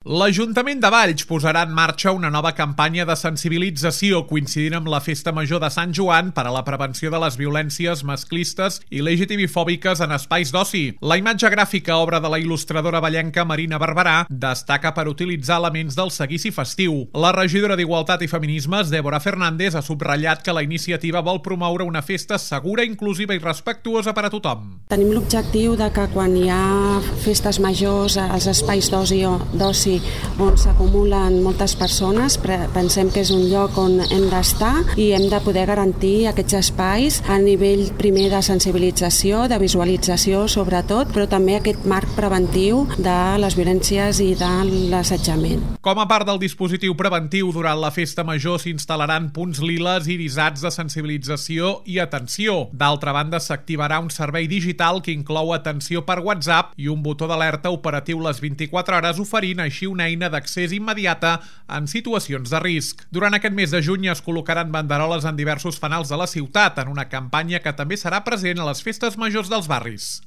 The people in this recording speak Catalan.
L'Ajuntament de Valls posarà en marxa una nova campanya de sensibilització coincidint amb la Festa Major de Sant Joan per a la prevenció de les violències masclistes i LGTBifòbiques en espais d'oci. La imatge gràfica, obra de la il·lustradora vallenca Marina Barberà, destaca per utilitzar elements del seguici festiu. La regidora d'Igualtat i Feminismes, Débora Fernández, ha subratllat que la iniciativa vol promoure una festa segura, inclusiva i respectuosa per a tothom. Tenim l'objectiu de que quan hi ha festes majors als espais d'oci on s'acumulen moltes persones, pensem que és un lloc on hem d'estar i hem de poder garantir aquests espais a nivell primer de sensibilització, de visualització sobretot, però també aquest marc preventiu de les violències i de l'assetjament. Com a part del dispositiu preventiu, durant la Festa Major s'instal·laran punts liles irisats de sensibilització i atenció. D'altra banda, s'activarà un servei digital que inclou atenció per WhatsApp i un botó d'alerta operatiu les 24 hores, oferint així una eina d'accés immediata en situacions de risc. Durant aquest mes de juny es col·locaran banderoles en diversos fanals de la ciutat, en una campanya que també serà present a les festes majors dels barris.